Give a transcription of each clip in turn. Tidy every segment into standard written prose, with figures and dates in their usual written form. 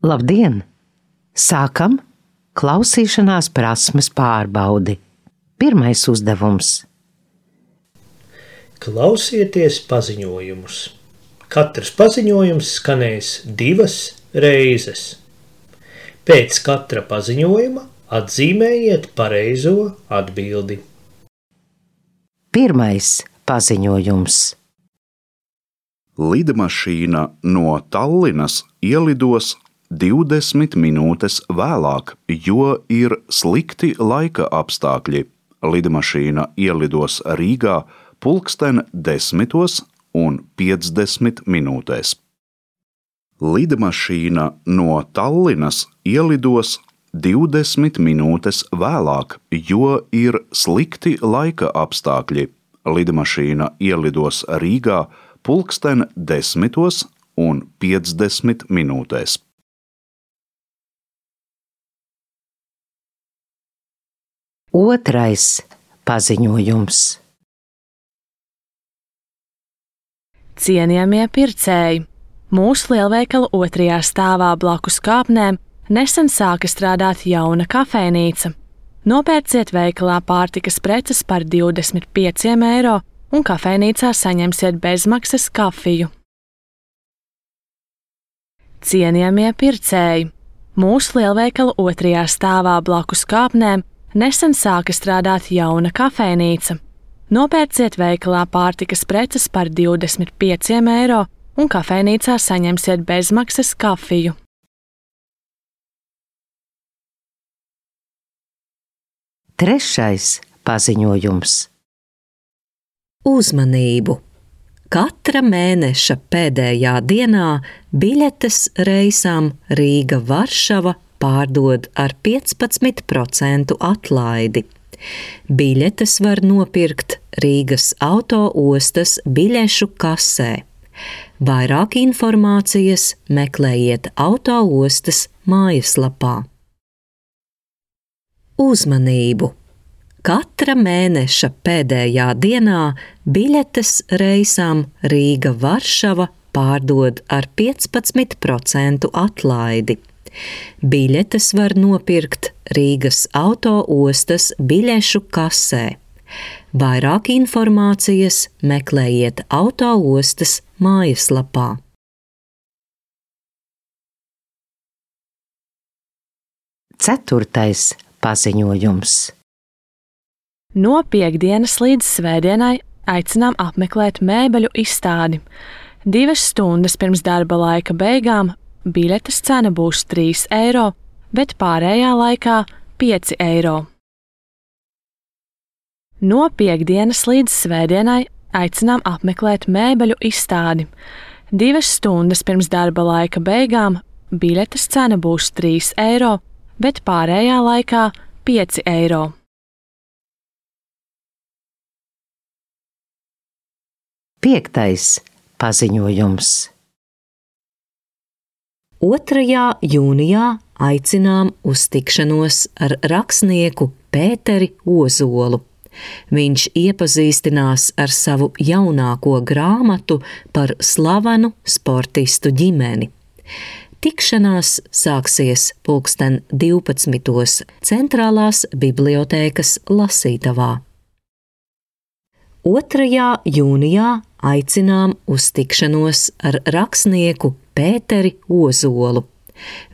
Labdien! Sākam klausīšanās prasmes pārbaudi. Pirmais uzdevums. Klausieties paziņojumus. Katrs paziņojums skanēs 2 reizes. Pēc katra paziņojuma atzīmējiet pareizo atbildi. Pirmais paziņojums. Lidmašīna no Tallinas ielidos 20 minūtes vēlāk, jo ir slikti laika apstākļi. Lidmašīna ielidos Rīgā 10:50. Lidmašīna no Tallinas ielidos 20 minūtes vēlāk, jo ir slikti laika apstākļi. Lidmašīna ielidos Rīgā 10:50. Otrais paziņojums. Cienījamie pircēji! Mūsu lielveikala 2. stāvā blakus kāpnēm nesen sāka strādāt jauna kafejnīca. Nopērciet veikalā pārtikas preces par 25 eiro un kafejnīcā saņemsiet bezmaksas kafiju. Cienījamie pircēji! Mūsu lielveikala 2. stāvā blakus kāpnēm nesen sāka strādāt jauna kafejnīca. Nopērciet veikalā pārtikas preces par 25 eiro un kafejnīcā saņemsiet bezmaksas kafiju. Trešais paziņojums. Uzmanību! Katra mēneša pēdējā dienā biļetes reisām Rīga-Varšava pārdod ar 15% atlaidi. Biļetes var nopirkt Rīgas auto-ostas biļešu kasē. Vairāk informācijas meklējiet auto-ostas mājaslapā. Uzmanību! Katra mēneša pēdējā dienā biļetes reisām Rīga-Varšava pārdod ar 15% atlaidi. Biļetes var nopirkt Rīgas auto-ostas biļešu kasē. Vairāk informācijas meklējiet auto-ostas mājaslapā. Ceturtais paziņojums. No piektdienas līdz svētdienai aicinām apmeklēt mēbeļu izstādi. 2 stundas pirms darba laika beigām biļetes cena būs 3 eiro, bet pārējā laikā 5 eiro. No piektdienas līdz svētdienai aicinām apmeklēt mēbeļu izstādi. 2 stundas pirms darba laika beigām biļetes cena būs 3 eiro, bet pārējā laikā 5 eiro. Piektais paziņojums. 2. jūnijā aicinām uz tikšanos ar rakstnieku Pēteri Ozolu. Viņš iepazīstinās ar savu jaunāko grāmatu par slavenu sportistu ģimeni. Tikšanās sāksies 12:00 Centrālās bibliotēkas lasītavā. 2. jūnijā aicinām uz tikšanos ar rakstnieku Pēteri Ozolu.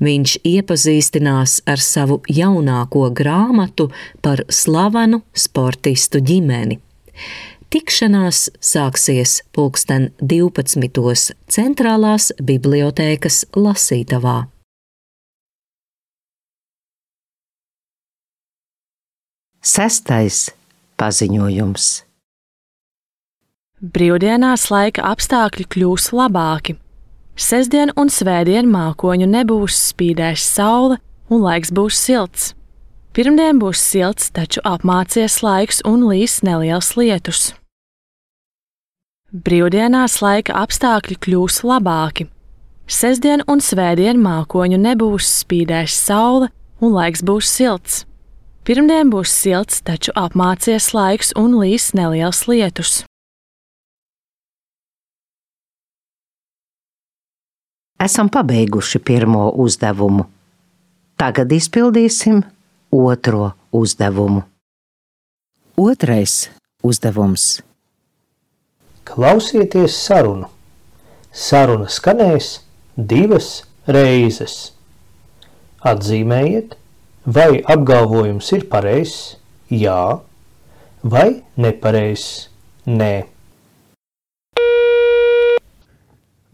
Viņš iepazīstinās ar savu jaunāko grāmatu par slavenu sportistu ģimeni. Tikšanās sāksies 12:00 Centrālās bibliotēkas lasītavā. Sestais paziņojums. Brīvdienās laika apstākļi kļūs labāki. Sestdien un svētdien mākoņu nebūs, spīdēs saule un laiks būs silts. Pirmdien būs silts, taču apmācies laiks un līs neliels lietus. Brīvdienās laika apstākļi kļūs labāki. Sestdien un svētdien mākoņu nebūs, spīdēs saule un laiks būs silts. Pirmdien būs silts, taču apmācies laiks un līs neliels lietus. Esam pabeiguši pirmo uzdevumu. Tagad izpildīsim otro uzdevumu. Otrais uzdevums. Klausieties sarunu. Saruna skanēs 2 reizes. Atzīmējiet, vai apgalvojums ir pareizs, jā, vai nepareizs, nē.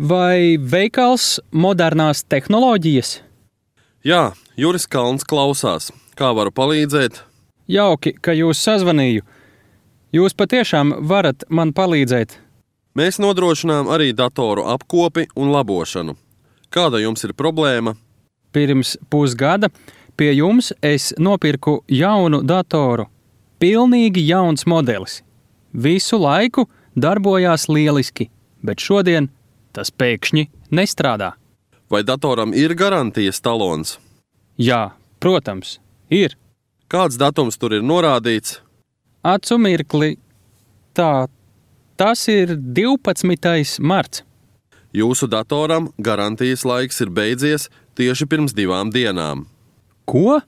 Vai veikals modernās tehnoloģijas? Jā, Juris Kalns klausās. Kā varu palīdzēt? Jauki, ka jūs sazvanīju. Jūs patiešām varat man palīdzēt. Mēs nodrošinām arī datoru apkopi un labošanu. Kāda jums ir problēma? Pirms pusgada pie jums es nopirku jaunu datoru. Pilnīgi jauns modelis. Visu laiku darbojās lieliski, bet šodien tas pēkšņi nestrādā. Vai datoram ir garantijas talons? Jā, protams, ir. Kāds datums tur ir norādīts? Acu mirkli. Tas ir 12. marts. Jūsu datoram garantijas laiks ir beidzies tieši pirms 2 dienām. Ko?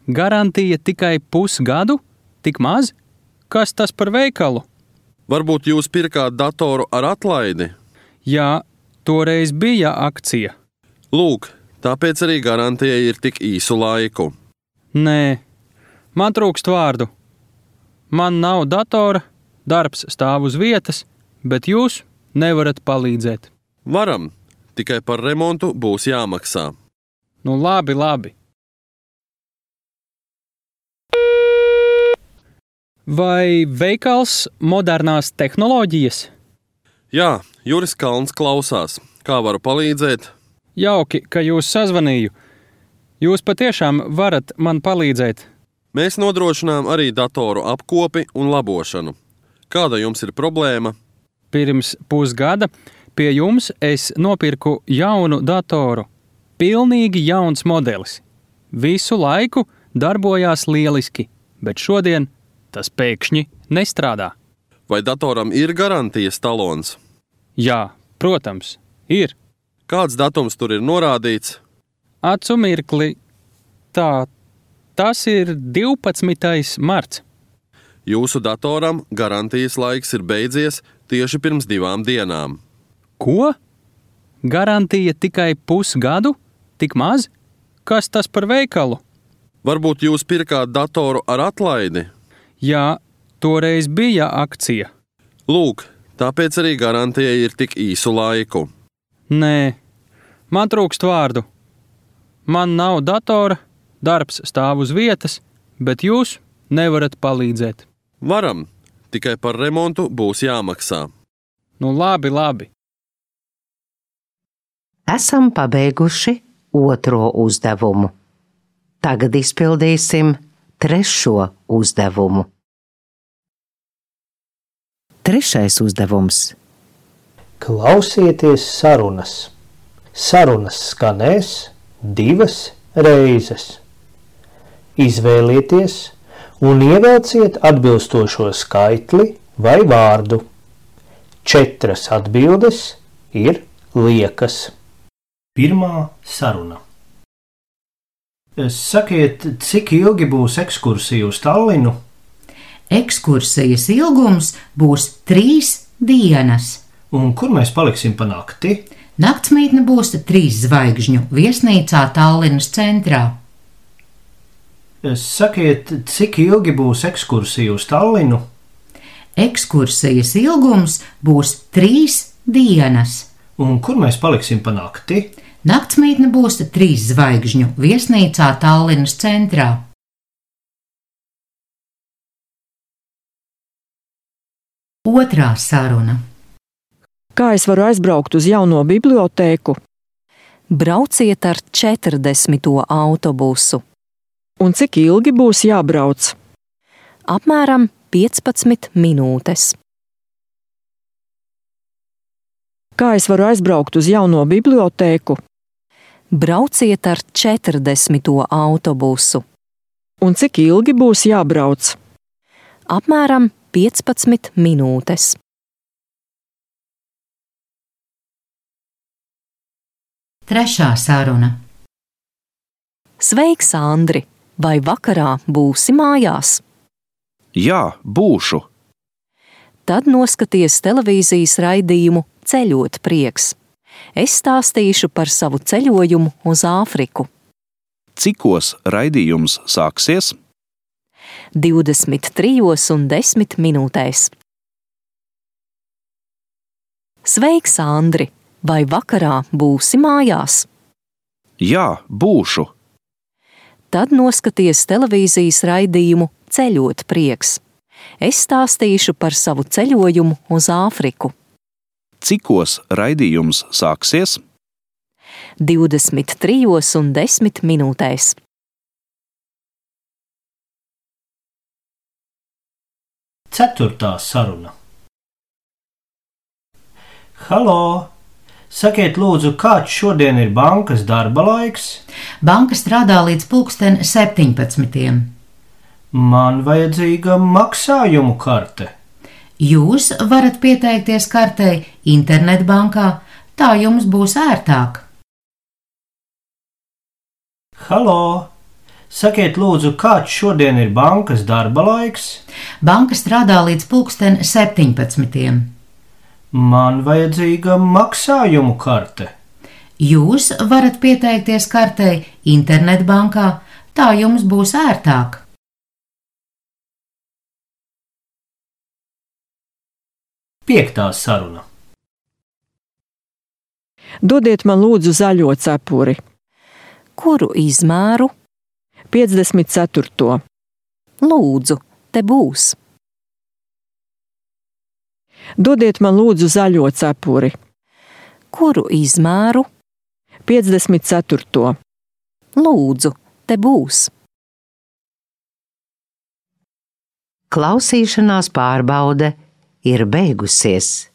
Garantija tikai pusgadu? Tik maz? Kas tas par veikalu? Varbūt jūs pirkāt datoru ar atlaidi? Jā, toreiz bija akcija. Lūk, tāpēc arī garantija ir tik īsu laiku. Nē, man trūkst vārdu. Man nav datora, darbs stāv uz vietas, bet jūs nevarat palīdzēt. Varam, tikai par remontu būs jāmaksā. Nu labi. Vai veikals modernās tehnoloģijas? Jā, Juris Kalns klausās. Kā varu palīdzēt? Jauki, ka jūs sazvanīju. Jūs patiešām varat man palīdzēt. Mēs nodrošinām arī datoru apkopi un labošanu. Kāda jums ir problēma? Pirms pusgada pie jums es nopirku jaunu datoru. Pilnīgi jauns modelis. Visu laiku darbojās lieliski, bet šodien tas pēkšņi nestrādā. Vai datoram ir garantijas talons? Jā, protams, ir. Kāds datums tur ir norādīts? Acu mirkli. Tas ir 12. marts. Jūsu datoram garantijas laiks ir beidzies tieši pirms 2 dienām. Ko? Garantija tikai pusgadu? Tik maz? Kas tas par veikalu? Varbūt jūs pirkāt datoru ar atlaidi? Jā, toreiz bija akcija. Lūk, tāpēc arī garantija ir tik īsu laiku. Nē, man trūkst vārdu. Man nav datora, darbs stāv uz vietas, bet jūs nevarat palīdzēt. Varam, tikai par remontu būs jāmaksā. Nu labi. Esam pabeiguši otro uzdevumu. Tagad izpildīsim trešo uzdevumu. Trešais uzdevums. Klausieties sarunas. Sarunas skanēs 2 reizes. Izvēlieties un ievelciet atbilstošo skaitli vai vārdu. 4 atbildes ir liekas. Pirmā saruna. Sakiet, cik ilgi būs ekskursija uz Tallinu? Ekskursijas ilgums būs 3 dienas. Un kur mēs paliksim pa nakti? Naktsmītne būs 3 zvaigžņu viesnīcā Tallinas centrā. Sakiet, cik ilgi būs ekskursija uz Tallinu? Ekskursijas ilgums būs 3 dienas. Un kur mēs paliksim pa nakti? Naktsmītne būs 3 zvaigžņu viesnīcā Tallinas centrā. Otrā saruna. Kā es varu aizbraukt uz jauno bibliotēku? Brauciet ar 40. autobusu. Un cik ilgi būs jābrauc? Apmēram 15 minūtes. Kā es varu aizbraukt uz jauno bibliotēku? Brauciet ar 40. autobusu. Un cik ilgi būs jābrauc? Apmēram 15 minūtes. Trešā saruna. Sveiks, Andri! Vai vakarā būsi mājās? Jā, būšu. Tad noskaties televīzijas raidījumu Ceļot prieks. Es stāstīšu par savu ceļojumu uz Āfriku. Cikos raidījums sāksies? 23:10. Sveiks, Andri! Vai vakarā būsi mājās? Jā, būšu. Tad noskaties televīzijas raidījumu Ceļot prieks. Es stāstīšu par savu ceļojumu uz Āfriku. Cikos raidījums sāksies? 23:10. Ceturtā saruna. Halo! Sakiet, lūdzu, kāds šodien ir bankas darba laiks? Banka strādā līdz 17:00. Man vajadzīga maksājumu karte. Jūs varat pieteikties kartei internetbankā, tā jums būs ērtāk. Halo! Sakiet, lūdzu, kāds šodien ir bankas darba laiks? Banka strādā līdz 17:00. Man vajadzīga maksājumu karte. Jūs varat pieteikties kartei internetbankā, tā jums būs ērtāk. Piektā saruna. Dodiet man lūdzu zaļo cepuri. Kuru izmēru? 54. Lūdzu, te būs. Dodiet man lūdzu zaļo cepuri. Kuru izmēru? 54. Lūdzu, te būs. Klausīšanās pārbaude ir beigusies.